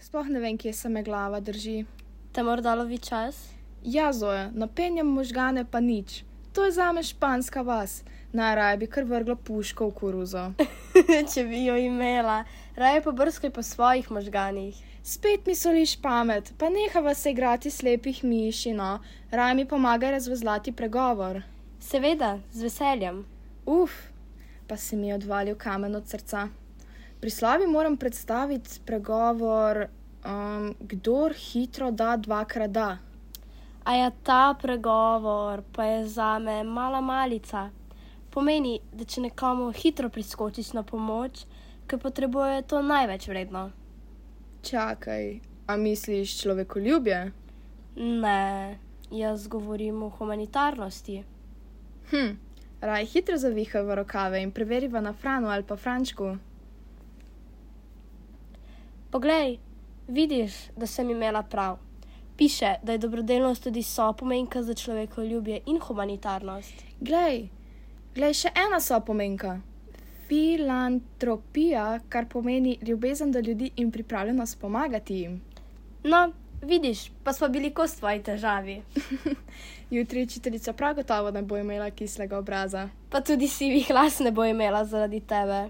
Sploh ne vem, kje se me glava drži. Te morda lovi čas? Ja, Zoja, napenjam možgane pa nič. To je zame španska vas. Najraje bi kar vrgla puško v koruzo. Če bi jo imela. Raje pa brskaj po svojih možganih. Spet mi soliš pamet, pa nehava se igrati slepih miši, no. Raje mi pomagaj razvezlati pregovor. Seveda, z veseljem. Pa si mi odvalil kamen od srca. Pri slavi moram predstaviti pregovor, kdor hitro da, dvakrat da. A ja, ta pregovor pa je zame mala malica. Pomeni, da če nekomu hitro priskočiš na pomoč, ker potrebuje to največ vredno. Čakaj, a misliš človekoljubje? Ne, jaz govorim o humanitarnosti. Raj hitro zavihaj v rokave in preveriva na Franu ali pa Frančku. Poglej, vidiš, da sem imela prav. Piše, da je dobrodelnost tudi sopomenka za človekoljubje in humanitarnost. Glej, še ena sopomenka. Filantropija, kar pomeni ljubezen do ljudi in pripravljenost pomagati jim. No, vidiš, pa smo bili kos tvoji težavi. Jutri učiteljica prav gotovo ne bo imela kislega obraza. Pa tudi sivih las ne bo imela zaradi tebe.